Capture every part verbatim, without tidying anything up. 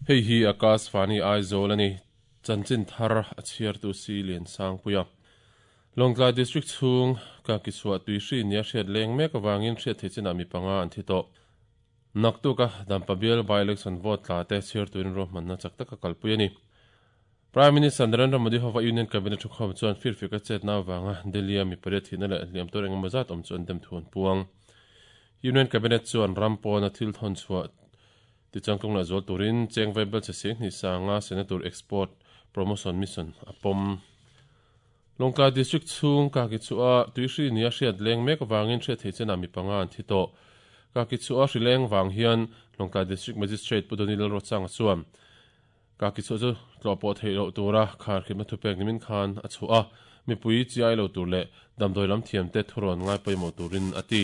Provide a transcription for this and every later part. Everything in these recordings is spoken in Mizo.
Hei hi Akashvani Aizawl ani chanchin thar a chhiar tu si lian sang puia. Lawngtlai District chhung ka kichhuah tuihri nia hriat leng mek awangin hriat theih chinah mi panga an thi tawh. Naktuka Dampa bial by election vote tla te chhiar turin ruahmanna chak taka kalpui ani. Prime Minister Narendra Modi hova Union Cabinet thukhawm chuan firfik a chetna awanga Delhi a mi pariat thihna leh hliam tur engemaw zat awm chu an dem thu an puang. Union Cabinet chuan ram pawna thil thawn chhuah tichangtlung leh zual turin cheng vaibel che seng hnih sanga Senator Export Promotion Mission a pawm. Lawngtlai District chhung ka kichhuah tuihri nia hriat leng mek awangin hriat theih chinah mi panga an thi tawh. Ka kichhuah hri leng wang hian Lawngtlai District Magistrate Pu Donny Lalrochanga chuan ka kichhuah chu tlawh pawh theih loh tura khar khimna thupek nimin khan a chhuah a, mipui chi ai lo tur leh damdawi lam thiam te thurawn ngai pawimawh turin a ti.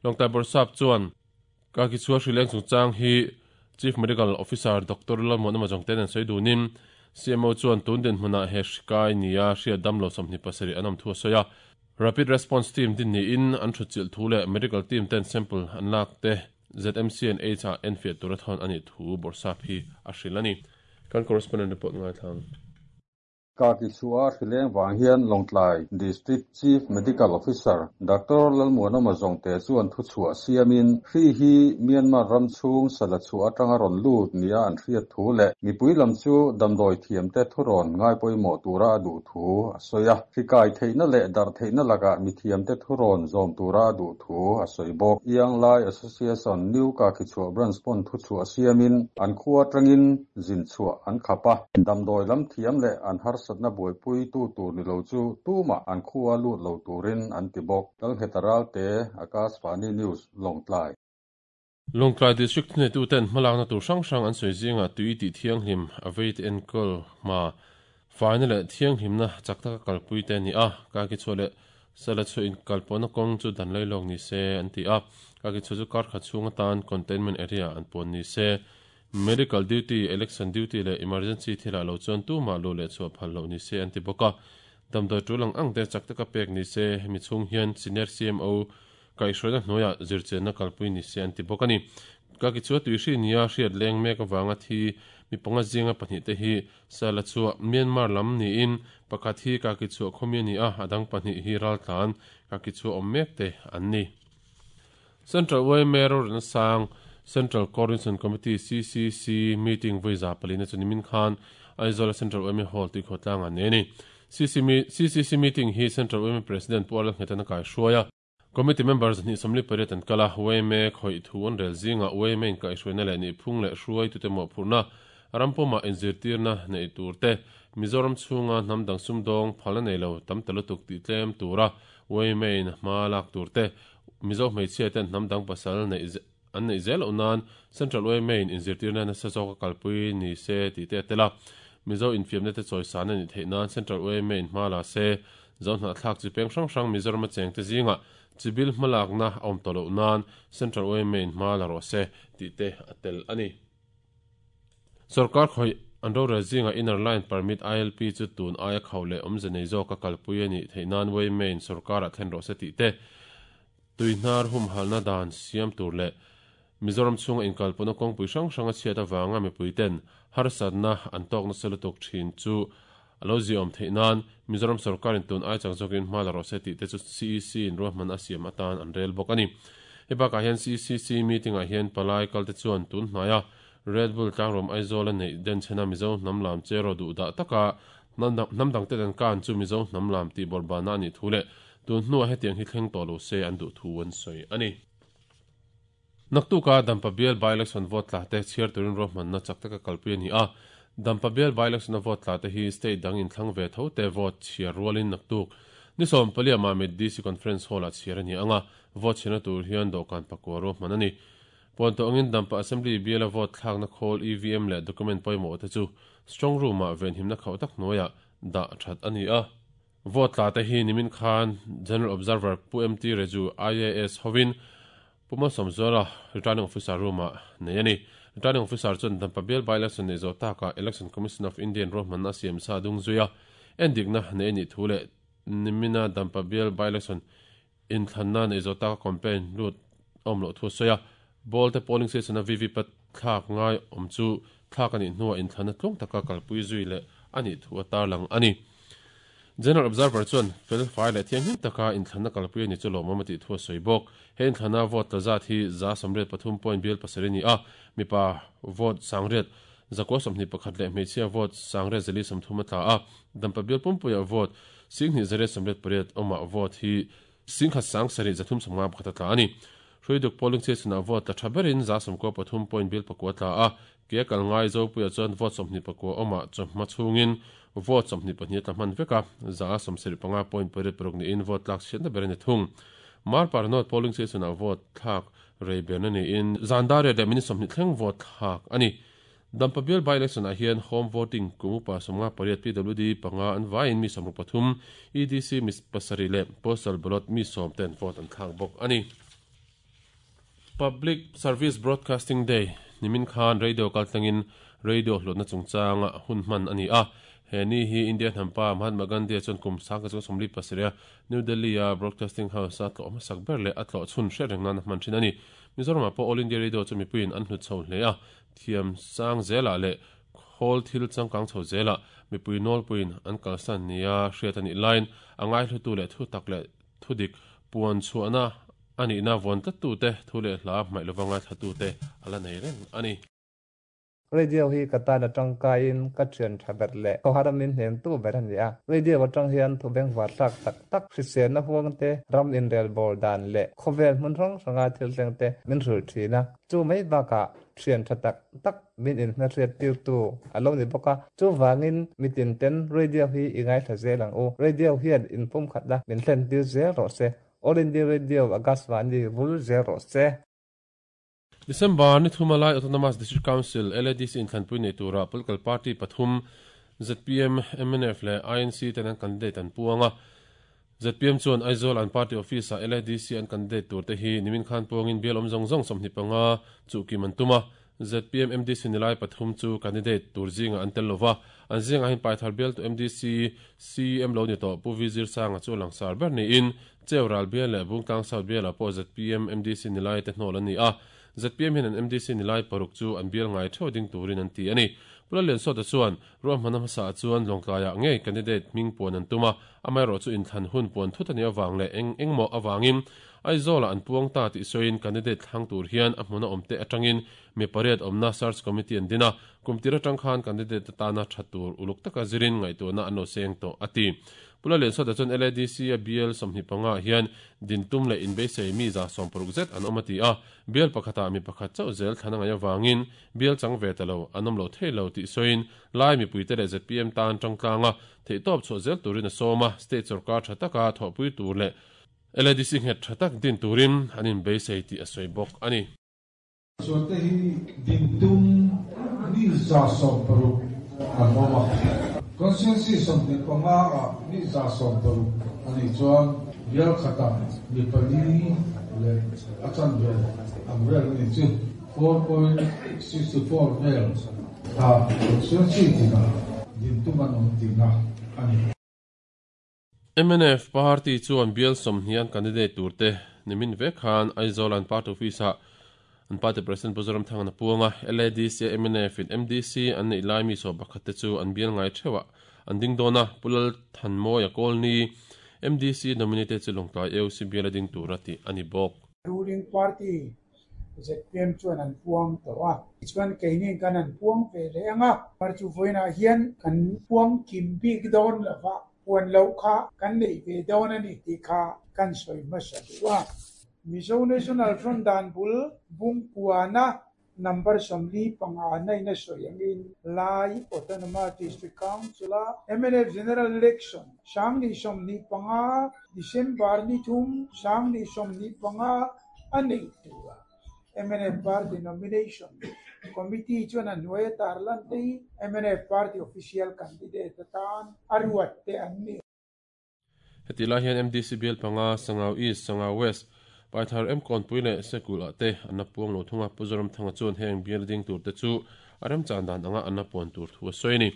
Lawngtlai Bawrhsap chuan ka kichhuah hri leng chungchang hi Chief Medical Officer Doctor Lalmuana Majong ten an sawi dunin C M O chuan tun din hmunah he hrikai nia hriat damlo sawmhnih pasarih an awm thu a sawi a. Rapid Response Team din niin an thutchilh thu leh medical team ten sample an lak te Z M C and H ah enfiah tur a thawn ani thu Bawrhsap hi a hril ani. Kan correspondent report ngai thlang. Ka kichhuah hri leng wang hian Lawngtlai District Chief Medical Officer Doctor Lalmuana Majong te chuan thu chhuah siamin hri hi Myanmar ram chhung sala chhuah atanga rawn lut nia an hriat thu leh mipui lam chu damdawi thiam te thurawn ngai pawimawh tura a duh thu a sawi a. Hri kai theihna leh dar theihna lakah mi thiam te thurawn zawm tura a duh thu a sawi bawk. Iang Lai Association New Ka kichhuah branch pawn thu chhuah siamin an khua atangin zin chhuah an khap a. Damdawi lam thiam leh an har satna buaipui tu tur ni lo chu tuma an khua lut lo turin an ti bawk. Lalnghet te Akashvani News Lawngtlai. Lawngtlai District hne tu ten hmalakna tur hrang hrang an sawi zinga tui tih thianghlim a vei te enkawl hma faina leh thianghlimna chak taka kalpui te ani a. Ka kichhuah leh sala chu in kalpawhna kawng chu dan lai lawk ni se an ti a. Ka kichhuah chu kar khat chhung atan containment area an pawn ni se. Medical duty, election duty leh emergency thila lo chuan tuma lu leh chhuah phal lo ni se an ti bawk a. Damdawi tulang ang te chak taka pek ni se hemi chhung hian senior C M O kaihhruaina hnuaiah zirchenna kalpui ni se an ti bawk ani. Ka kichhuah tuihri nia hriat leng mek awanga thi mi panga zinga pahnih te hi sala chhuah Myanmar lam niin pakhat hi ka kichhuah khawmi ani a, adang pahnih hi raltlan ka kichhuah awm mek te an ni. Central Y M A rorelna sang Central Coordination Committee C C C meeting voiza palina chu nimin khan Aizawl Central Y M A Hall tui khawtlang an nei ani. C C C meeting hi Central Y M A President Pu Lalnghetana kai hruaia. Committee members ni somli pariat an kala Y M A khoi thu an rel zinga Y M A in kai hruaina leh ni phung leh hruai tute mawh phurna rampuma inzirtirna nei tur te Mizoram chhunga hnam dang sum dawng phalna nei lo tam talutuk tih tlem tura Y M A in hma lak tur te Mizo hmeichhia ten hnam dang pasal nei an nei zel loh nan Central Y M A in inzirtirna nasa zawka kalpui ni se tih te tela Mizo infiamna te chawisan ani theih nan Central Y M A in hma la se zo hna thlak chi peng hrang hrang Mizoram a cheng te zinga chibil hmalakna a awm tawh loh nan Central Y M A in hma la rawh se tih te a tel ani. Sarkar khoi an rorel zinga Inner Line Permit I L P chu tun aia khau leh awmze nei zawka kalpui ani theih nan Y M A in sarkar ah thlen rawh se tih te tuihnar hum halna dan siam tur leh Mizoram chhunga inkalpawhna kawngpui hrang hrang a chhiat awanga mipui ten harsatna an tawkna salutuk thin chu alo zi awm theih nan Mizoram sarkar in tun ai chang zawkin hma la rawh se tih te chu C E C in ruahman a siam atan an rel bawk ani. Hei bakah hian C C C meeting ah hian palai kalte chuan tun hnaia Red Bull tlangrawm Aizawl a nei den chhena Mizo hnam lam chero duh dah taka hnam dang te dan kan chu Mizo hnam lam tih bawrbana ani thu leh tun hnuah hetiang hi thleng tawh lo se an duh thu an sawi ani. Naktuka Dampa bial by election vote tla te chhiar turin ruahmanna chak taka kalpui ani a. Dampa bial by election a vote tla te hi state dang in thlang ve tho te vote chhiar rualin naktuk nisom palia Mamit D C Conference Hall ah chhiar ani anga vote chhiarna tur hian dawhkan pakua ruahman ani. Puan tawh angin Dampa Assembly bial a vote thlakna khawl E V M leh document pawimawh te chu strong room ah venhimna khauh tak hnuaiah dah that ani a. Vote tla te hi nimin khan General Observer Pu M T Reju I A S hovin Puma Somzora Returning Officer room ah nei ani. Returning Officer chuan Dampa bial by election nei zo taka Election Commission of India ruahmanna siam sa dung zuia endikna nei ani thu leh nimina Dampa bial by election inthlanna nei zo taka campaign lut awm loh thu sawi a. Ball te polling station a V V P thlak ngai awm chu thlak ani hnuwa inthlana tlung taka kalpui zui le ani thu atar lang ani. General Observer chuan fel fai le thianghlim taka inthlana kalpui ani chu lawmawm a tih thu a sawi bawk. He inthlana vote tla zat hi za sawmriat pathum point bial pasarih ni a, mipa vote sangriat zakua sawmhnih pakhat leh hmeichhia vote sangriat zali sawmthum a tla a, dampa bial pumpuia vote singhnih zariat sawmriat pariat awmah vote hi singkhat sang sarih zathum sawmnga pakhat a tla ani. Hruiduk polling station-ah vote tla tha berin za sawmkua pathum point bial pakua tla a, ke kal ngai Zopuia chuan vote sawmhnih pakua awmah chawhma chhungin vote sawmhnih pahnih tla hman vek a, za sawmsarih panga point pariat paruk niin vote tlak chhiatna ber ani thung. Marpar North polling station-ah vote thlak rei ber niin zan dar riat leh minute sawmhnih thleng vote thlak ani. Dampa bial by election-ah hian home voting kum upa sawmnga pariat P W D panga an vaiin mi sawmruk pathum E D C mi pasarih leh postal ballot mi sawm ten vote an thlak bawk ani. Public Service Broadcasting Day nimin khan radio kaltlangin radio hlawtna chungchanga hun hman ani a. He ni hi India hnampa Mahatma Gandhi chuan kum sangka chu sawmli pasarih New Delhi a Broadcasting House a tlawh hmasak ber leh a tlawh chhun hre reng nan a hman thin ani. Mizoram pawh All India Radio chu mipuiin an hlut chho hle a, thiam sang zela leh khawl thil changkang chho zela mipui nawlpuiin an kalsan nia hriat ani line angai hlutu leh thu tak leh thudik puan chhuahna ani na vawn tlattu te thu leh hla hmaih lovanga thlatu te ala nei reng ani. Radio hi ka tan atang kain ka thian tha ber le ko haramin hnem tu ber ani a. Radio atang hian thu beng war tak tak tak hrisel na huang te ram in rel bol dan le khovel hmun rong sanga thil thleng te min hrul thina chu mai ba ka thian tha tak tak min in hna hriat tir tu alo ni boka chu wangin mitin ten radio hi ingai tha zelang u. Radio hian in pum khat la min thlen tir zel ro se. All India Radio Akashvani vul zel ro se. December ni thumalai Autonomous District Council L A D C inthlanpui nei tura political party pathum Z P M, M N F le I N C ten an candidate an puanga. Z P M chuan Aizawl an party office a L A D C an candidate tur te hi nimin khan puangin bial awm zawng zawng sawmhnih panga chu kim an tuma. Z P M M D C nilai pathum chu candidate tur zinga an tel lova, an zinga hin paithar bial tu M D C C M lo ni to Pu V Zir Sanga chu langsar ber ni in Cheural bial le Bungtlang South bial a pawh Z P M M D C nilai te hnawl ani a. Z P M hian an M D C nilai paruk chu an bial ngai theuh ding turin an ti ani. Pulalian sawta chuan ruahmana hmasa chuan Lawngtlaiah ngei candidate hming puan an tuma, amaherawh chu inthlan hun puan thut ani awang leh eng engmaw awangin Aizawla an puang ta tih sawiin candidate thlang tur hian a hmuna awm te atangin mi pariat awmna search committee an dina kumtir atang khan candidate tana tha tur uluk taka zirin ngaihtuahna an lo seng tawh ati. Pulalian sawta chuan L A D C a bial sawmhnih panga hian dintum leh inbeisei mi za sawm paruk zet an awm ati a, bial pakhata mi pakhat chauh zel thlana ngai awangin bial chang ve ta lo an awm lo thei lo tih sawiin lai mipui te leh Z P M tan tangtlanga theih tawp chhuah zel turin a sawm a, state sarkar tha taka thawhpui tur leh L A D C nghet tha tak din turin an inbeisei tih a sawi bawk ani. Chuan te hi dintum mi za sawm paruk an awm a, constituency sawmhnih panga a mi za sawm paruk ani chuan bial khata mi pali leh a chan vel ang vel ani chu four point six four vel kha constituency tina dintum an awm tina ani. M N F party chuan bial sawmhnih an candidate turte nimin vek khan Aizawl an party office ah an party president Pu Zoramthanga na puanga L A D C M N F in M D C an nei lai mi sawm pakhat te chu an bial ngai theuha an ding dawna Pulal Thanmawia Kawlni M D C nominated chu Lawngtlai A U C bial a ding tur a tih ani bawk. Ruling party Z P M chuan an puang tawh a, chuan keini kan an puang ve leh anga par chu vawiinah hian kan puang kim bik dawn lova puan lo kha kan nei ve dawn ani tih kha kan sawi hmasa duh a. Mizo National Front dan bul bung puana number sawmli panga naina sawi angin Lai Autonomous District Council a M N F General Election sangni sawmni panga December ni thum sangni sawmni panga a nei tura M N F Party Nomination Committee chuan an hnuai tarlan te hi M N F Party Official Candidate atan a ruat te an ni. Heti lai hian M D C bial panga Sangau East, Sangau West, Paithar M Kawnpui leh Sekul ah te an na puang lo thunga Pu Zoramthanga chuan heng bial ding tur te chu a remchan dan anga an na puan tur thu a sawi ni.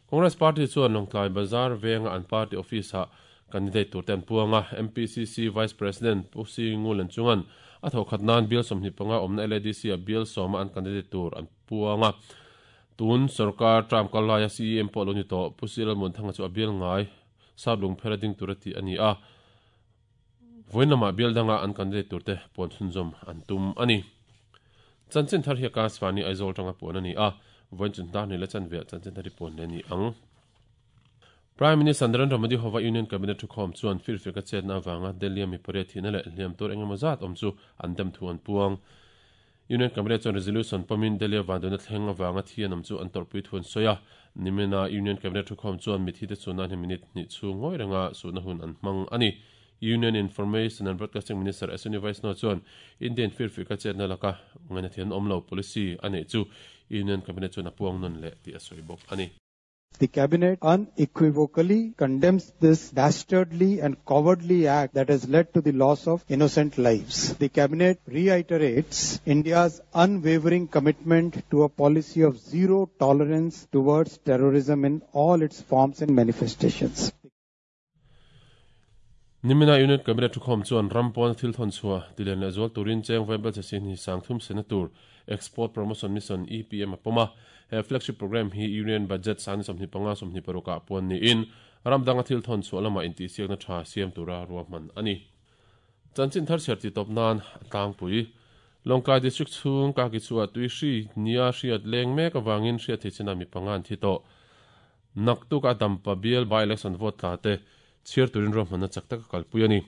Congress Party chuan Lawngtlai Bazar venga an party office ah candidate tur te an puanga M P C C Vice President Pu Singul an chungan a tho khat nan bial sawmhnih panga awmna L A D C a bial sawma an candidate tur an puanga. Tun sarkar tram kalaya C E M pawh lo ni tawh Pu C Lalmuanthanga chu a bial ngai sap lung phera ding tur ati ani a voin lama bial danga an candidate turte pon chhunzawm an tum ani. Chanchin thar hi Akashvani Aizawl tanga pon ani a voin chun dar ni la chan ve chanchin thari pon le ni ang. Prime Minister Narendra Modi hova Union Cabinet thukhawm chuan firfeka chetna awanga Delhi mi pariat thihna leh hliam tur engemaw zat awm chu an dem thu an puang. Union Cabinet chuan resolution pamin Delhi vanduaina thleng awanga thi an awm chu an tawrhpui thu an sawi a. Nimina Union Cabinet thukhawm chuan mithi te chuan hi minute hnih chhung ngawi renga suhna hun an hmang ani. Union Information and Broadcasting Minister Ashwini Vaishnaw chuan Indian firfeka chetna laka ngaina thian awm lo policy a neih chu Union Cabinet chuan a puang nawn leh tih a sawi bawk ani. The Cabinet unequivocally condemns this dastardly and cowardly act that has led to the loss of innocent lives. The Cabinet reiterates India's unwavering commitment to a policy of zero tolerance towards terrorism in all its forms and manifestations. Nimina Union Cabinet thukhawm chuan rampawn thil thawn chhuah tilen leh zual turin cheng vaibel che sin hi sangthum sena tur Export Promotion Mission E P M a pawma. He flagship program hi Union Budget sani sawmhnih panga sawmhnih parukah puan niin ramdanga thil thawn chhuah lama intihsiakna tha siam tura ruahman ani. Chanchin thar chhiar ti tawp nan tlangpui Lawngtlai District chhung ka ki chhuah tui hri nia hriat leng mek awangin hriat thei china mi panga an thi tawh. Naktuk a dampa bial by election vote tla te chhiar turin ruahmanna chak taka kalpui ani.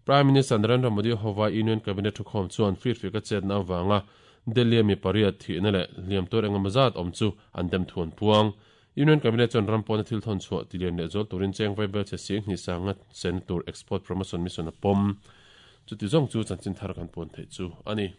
Prime Minister Narendra Modi hova Union Cabinet thukhawm chuan firfeka chetna awanga Delhi mi pariat thihna leh hliam tur engemaw zat awm chu an dem thu an puang. Union Cabinet chuan rampawn thil thawn chhuah tilian leh zual turin cheng vaibel che sing hnih sanga sen tur Export Promotion Mission a pawm. Chuti zawng chu chanchin thar kan puan theih chu ani.